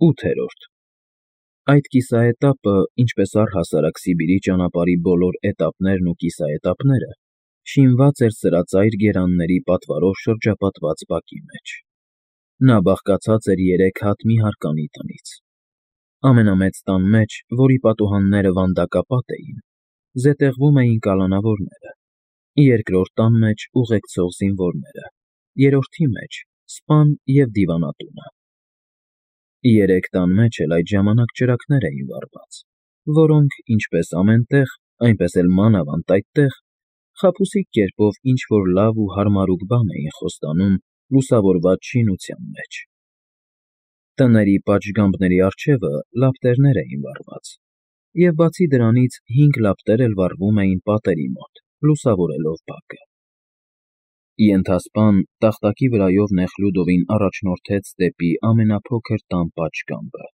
8-րդ Այդ կիսաէտապը, ինչպես առհասարակ Սիբիրի ճանապարհի բոլոր էտապներն ու կիսաէտապները, շինված էր սրածայր գերանների պատվարով շրջապատված բակի մեջ։ Նա բաղկացած էր 3 հատ մի հարկանի տնից։ Ամենամեծ տան մեջ, որի պատուհանները վանդակապատ էին, զետեղվում էին կալանավորները, երկրորդ տան մեջ ուղեկցող զինվորները, երրորդի մեջ սպան և դիվանատունը։ 3 տան մեջ էլ այդ ժամանակ ճրագներ էին վառված, որոնք, ինչպես ամեն տեղ, այնպես էլ մանավանդ այդտեղ, խաբուսիկ կերպով ինչ-որ լավ ու հարմարուկ բան էին խոստանում լուսավորված շինության մեջ։ Տների պատշգամբների առջևը լապտերներ էին վառված, և բացի դրանից 5 լապտեր էլ վառվում էին պատերի մոտ, լուսավորելով բակը։ Ենթասպան տախտակի վրայով Նեխլյուդովին առաջնորդեց դեպի ամենափոքր տան պատշգամբը։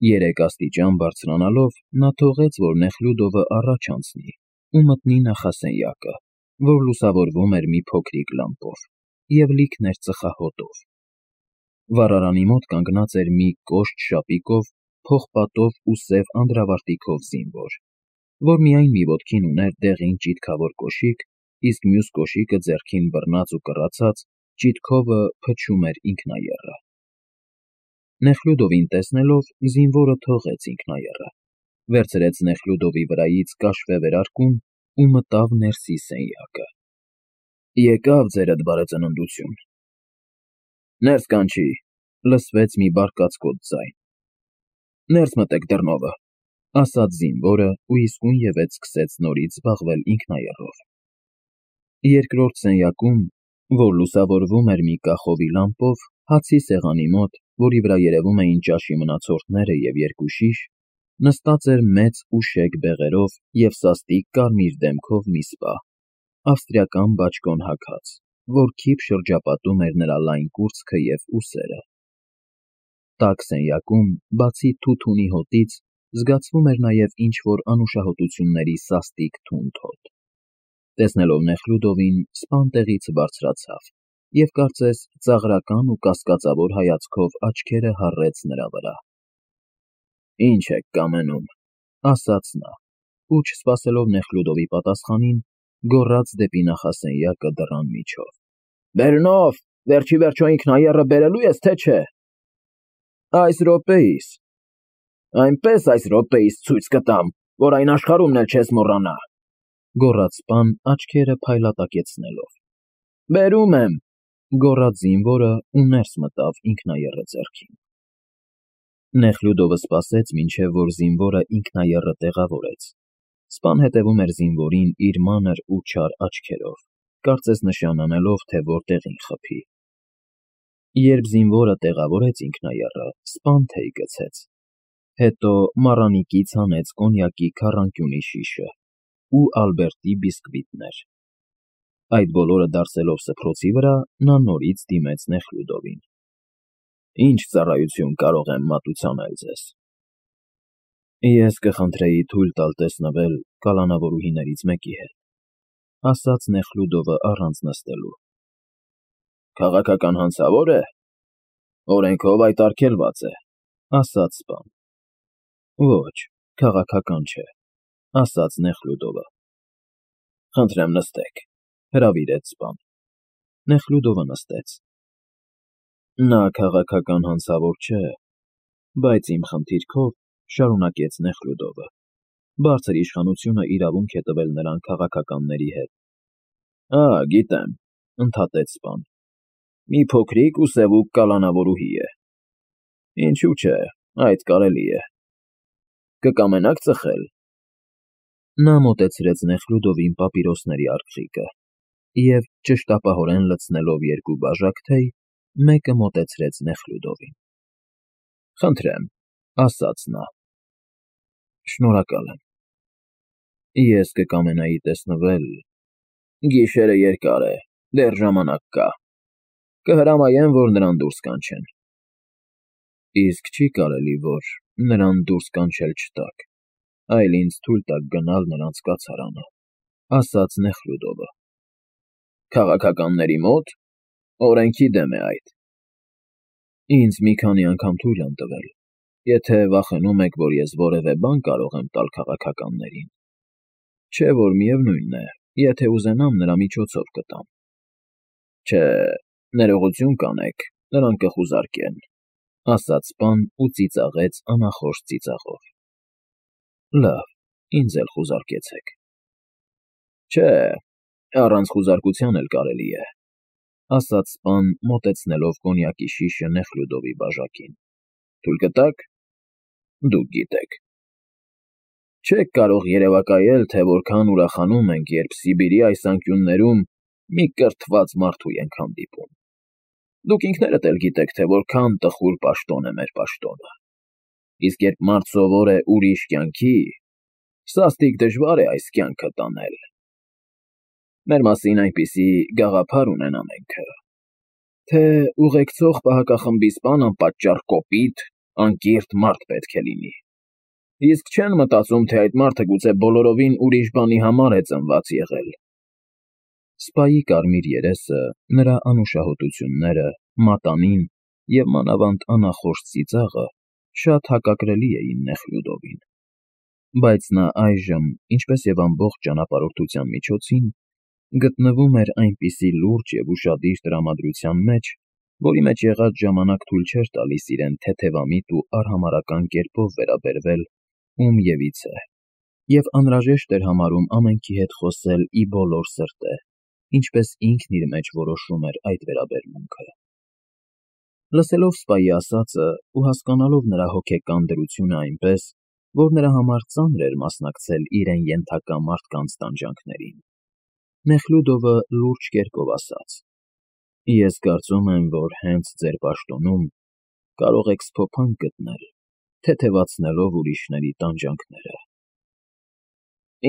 3 աստիճան բարձրանալով նա թողեց, որ Նեխլյուդովը առաջ անցնի ու մտնի նախասենյակը, որ լուսավորվում էր մի փոքրիկ լամպով և լիքն էր ծխախոտով։ Վառարանի մոտ կանգնած էր մի կոշտ շապիկով, փողպատով ու սև անդրավարտիքով զինվոր, որ միայն մի ոտքին ուներ դեղին ճիտքավոր կոշիկ, իսկ մյուս կոշիկը ձեռքին բռնած ու կռացած, ճիտքովը փչում էր ինքնաեռը։ Նեխլյուդովին տեսնելով, զինվորը թողեց ինքնաեռը, վերցրեց Նեխլյուդովի վրայից կաշվե վերարկուն ու մտավ ներսի սենյակը։ Եկավ ձերդ բարեծննդություն։ Ներս կանչի, լսվեց մի բարկացկոտ ձայն։ Ներս մտեք դռնովը, ասաց զինվորը ու իսկույնևեթ սկսեց նորից զբաղվել ինքնաեռով։ Երկրորդ սենյակում, որ լուսավորվում էր մի կախովի լամպով, հացի սեղանի մոտ, որի վրա երևում էին ճաշի մնացորդները և 2 շիշ, նստած էր մեծ ու շեկ բեղերով և սաստիկ կարմիր դեմքով մի սպա, ավստրիական բաճկոն հագած, որ քիփ շրջապատում էր նրա լայն կուրծքը և ուսերը։ Տաք սենյակում, բացի թութունի հոտից, զգացվում էր նաև ինչ-որ անուշահոտությունների սաստիկ թունդ հոտ։ Տեսնելով Նեխլյուդովին, սպան տեղից բարձրացավ և կարծես ծաղրական ու կասկածավոր հայացքով աչքերը հառեց նրա վրա։ Ինչ եք կամենում, ասաց նա, ու չսպասելով Նեխլյուդովի պատասխանին, գոռաց դեպի նախասենյակը դռան միջով. Բերնով, վերջիվերջո ինքնաեռը բերելու ես, թե չէ։ Այս րոպեիս։ Այնպես այս րոպեիս ցույց կտամ, որ այն աշխարհումն էլ չես մոռանա, գոռաց սպան աչքերը փայլատակեցնելով։ Բերում եմ, գոռաց զինվորը ու ներս մտավ ինքնաեռը ձեռքին։ Նեխլյուդովը սպասեց, մինչև որ զինվորը ինքնաեռը տեղավորեց։ Սպան հետևում էր զինվորին իր մանր ու չար աչքերով, կարծես նշան անելով, թե որտեղին խփի։ Երբ զինվորը տեղավորեց ինքնաեռը, սպան թեյ գցեց։ Հետո մառանիկից հանեց կոնյակի քառանկյունի շիշը ու Ալբերտի բիսկվիտներ։ Այդ բոլորը դարսելով սփռոցի վրա, նա նորից դիմեց Նեխլյուդովին։ Ինչ ծառայություն կարող եմ մատուցանել ձեզ։ Ես կխնդրեի թույլ տալ տեսնվել կալանավորուհիներից մեկի հետ, ասաց Նեխլյուդովը առանց նստելու։ Քաղաքական հանցավո՞ր է։ Օրենքով այդ արգելված է, ասաց սպան։ Ոչ, քաղաքական չէ, ասաց Նեխլյուդովը։ Խնդրեմ նստեք, հրավիրեց սպան։ Նեխլյուդովը նստեց։ Նա քաղաքական հանցավոր չէ, բայց իմ խնդիրքով, շարունակեց Նեխլյուդովը, բարձր իշխանությունը իրավունք է տվել նրան քաղաքականների հետ։ Գիտեմ, ընդհատեց սպան։ Մի փոքրիկ ու սևուկ կալանավորուհի է։ Ինչու՞ չէ, այդ կարելի է։ Կկամենաք ծխել։ Նա մոտեցրեց Նեխլյուդովին պապիրոսների արկղիկը և, ճշտապահորեն լցնելով 2 բաժակ թեյ, մեկը մոտեցրեց Նեխլյուդովին։ Խնդրեմ, ասաց նա։ Շնորհակալ եմ։ Ես կկամենայի տեսնվել։ Գիշերը երկար է, դեռ ժամանակ կա։ Կհրամայեմ, որ նրան դուրս կանչեն։ Իսկ չի՞ կարելի, որ նրան դուրս կանչել չտաք, այլ ինձ թույլ տաք գնալ նրանց կացարանը, ասաց Նեխլյուդովը։ Քաղաքականների մոտ։ Օրենքի դեմ է այդ։ Ինձ մի քանի անգամ թույլ են տվել, եթե վախենում եք, որ ես որևէ բան կարող եմ տալ քաղաքականներին, չէ որ միևնույնն է, եթե ուզենամ նրա միջոցով կտամ։ Չէ, ներողություն կանեք, նրանք կխուզարկեն, ասաց պան ու ծիծաղեց անախորժ ծիծաղով։ Լավ, ինձ էլ խուզարկեցեք։ Չէ, առանց խուզարկության էլ կարելի է, ասաց պան մոտեցնելով կոնյակի շիշը Նեխլյուդովի բաժակին։ Թույլ կտաք։ Դուք գիտեք։ Չեք կարող երևակայել, թե որքան ուրախանում ենք, երբ Սիբիրի այս անկյուններում մի կրթված մարդու ենք հանդիպում։ Դուք ինքներդ էլ գիտեք, թե որքան տխուր պաշտոն է մեր պաշտոնը։ Իսկ երբ մարդ սովոր է ուրիշ կյանքի, սաստիկ դժվար է այս կյանքը տանել։ Մեր մասին այնպիսի գաղափար ունեն ամենքը, թե ուղեկցող պահակախմբի սպան անպատճառ կոպիտ, անկիրթ մարդ պետք է լինի։ Իսկ չեն մտածում, թե այդ մարդը գուցե բոլորովին ուրիշ բանի համար է ծնված եղել։ Սպայի կարմիր երեսը, նրա անուշահոտությունները, մատանին և մանավանդ անախորժ ծիծաղը շատ հակակրելի էին Նեխլյուդովին։ Բայց նա այժմ, ինչպես և ամբողջ ճանապարհորդության միջոցին, գտնվում էր այնպիսի լուրջ և ուշադիր տրամադրության մեջ, որի մեջ եղած ժամանակ թույլ չէր տալիս իրեն թեթևամիտ ու արհամարհական կերպով վերաբերվել ումևիցե, և անհրաժեշտ էր համարում ամենքի հետ խոսել ի բոլոր սրտե, ինչպես ինքն իր մեջ որոշում էր այդ վերաբերմունքը։ Լսելով սպայի ասածը ու հասկանալով նրա հոգեկան դրությունը այնպես, որ նրա համար ծանր էր մասնակցել իրեն ենթակա մարդկանց տանջանքներին, Նեխլյուդովը լուրջ կերպով ասաց. Ես կարծում եմ, որ հենց ձեր պաշտոնում կարող եք սփոփանք գտնել, թեթևացնելով ուրիշների տանջանքները։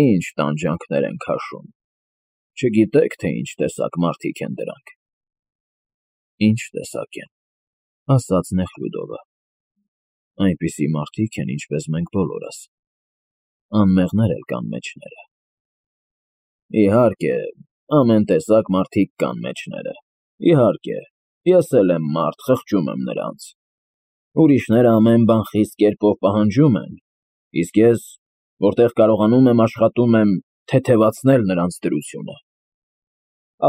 Ինչ տանջանքներ են քաշում։ Չգիտեք, թե ինչ տեսակ մարդիկ են դրանք։ Ինչ տեսակ են, ասաց Նեխլյուդովը։ Այնպիսի մարդիկ են, ինչպես մենք բոլորս։ Անմեղներ էլ կան մեջները։ Իհարկե, ամեն տեսակ մարդիկ կան մեջները։ Իհարկե, ես էլ եմ մարդ, խղճում եմ նրանց։ Ուրիշները ամեն բան խիստ կերպով պահանջում են, իսկ ես, որտեղ կարողանում եմ, աշխատում եմ թեթևացնել նրանց դրությունը։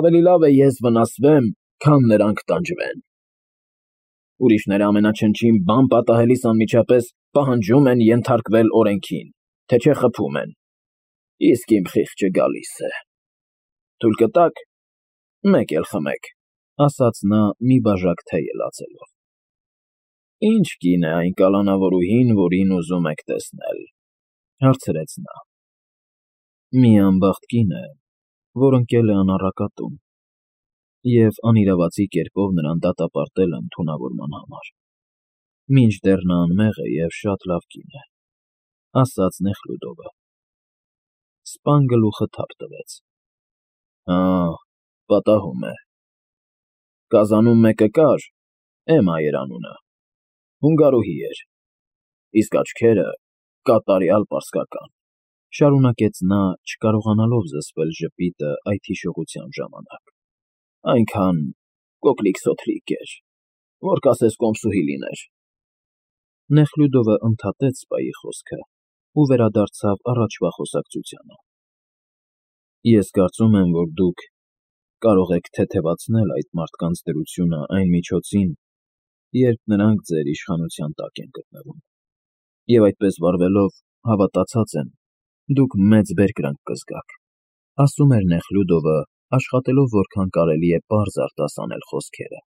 Ավելի լավ է ես վնասվեմ, քան նրանք տանջվեն։ Ուրիշները ամենաչնչին բան պատահելիս անմիջապես պահանջում են ենթարկվել օրենքին, թե չէ խփում են։ Իսկ իմ խիղճը գալիս է։ Թույլ կտաք, մեկ էլ խմեք, ասաց նա մի բաժակ թեյ լացելով։ Ինչ կին է այն կալանավորուհին, որին ուզում եք տեսնել, հարցրեց նա։ Մի անբախտ կին է, որ ընկել է անառակատում, և անիրավացի կերպով նրան դատապարտել են թունավորման համար։ Մինչդեռ նա անմեղ է և շատ լավ կին է, ասաց Նեխլյուդովը։ Սպան գլուխը թափ տվեց։ Հա, պատահում է։ Կազանում մեկը կար, Էմմա էր անունը, հունգարուհի էր, իսկ աչքերը կատարյալ պարսկական, շարունակեց նա, չկարողանալով զսպել ժպիտը այդ հիշողության ժամանակ։ Այնքան կոկլիկ֊սոթրիկ էր, որ կասես կոմսուհի լիներ։ Նեխլյուդովը ընդհատեց սպայի խոսքը ու վերադարձավ առաջվա խոսակցությանը։ Ես կարծում եմ, որ դուք կարող եք թեթևացնել այդ մարդկանց դրությունը այն միջոցին, երբ նրանք ձեր իշխանության տակ են գտնվում։ Եվ այդպես վարվելով, հավատացած եմ, դուք մեծ բերկրանք կզգաք, ասում էր Նեխլյուդովը, աշխատելով որքան կարելի է պարզ արտասանել խոսքերը,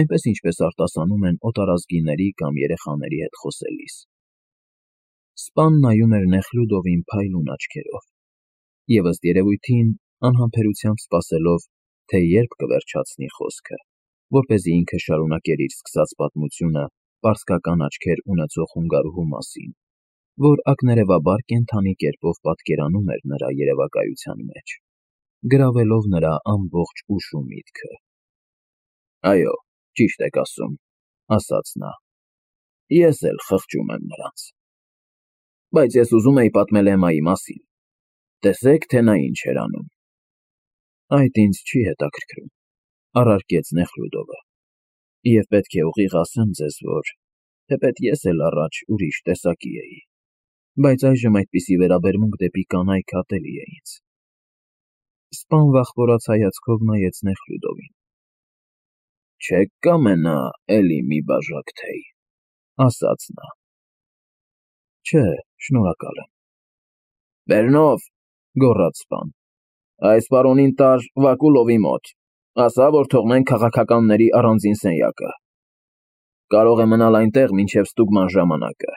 այնպես ինչպես արտասանում են օտարազգիների կամ երեխաների հետ խոսելիս։ Սպան նայում էր Նեխլյուդովին փայլուն աչքերով, և ըստ երևույթին անհամբերությամբ սպասելով, թե երբ կվերջացնի խոսքը, որպեսզի ինքը շարունակեր իր սկսած պատմությունը պարսկական աչքեր ունեցող հունգարուհու մասին, որ ակներևաբար կենդանի կերպով պատկերանում էր նրա երևակայության մեջ, գրավելով նրա ամբողջ ուշ ու միտքը։ Այո, ճիշտ եք ասում, ասաց նա, ես էլ խղճում եմ նրանց։ Բայց ես ուզում էի պատմել Էմմայի մասին։ Տեսեք, թե նա ինչ էր անում։ Այդ ինձ չի հետաքրքրում, առարկեց Նեխլյուդովը։ Եվ պետք է ուղիղ ասեմ ձեզ, որ թեպետ ես էլ առաջ ուրիշ տեսակի էի, բայց այժմ այդպիսի վերաբերմունք դեպի կանայք ատելի է ինձ։ Սպան վախվորած հայացքով նայեց Նեխլյուդովին։ Չեք կամենա էլի մի բաժակ թեյ, ասաց նա։ Չէ, շնորհակալ եմ։ Վերնով, գոռաց սպան, այս պարոնին տար Վակուլովի մոտ, ասա, որ թողնեն քաղաքականների առանձին սենյակը։ Կարող է մնալ այնտեղ մինչև ստուգման ժամանակը։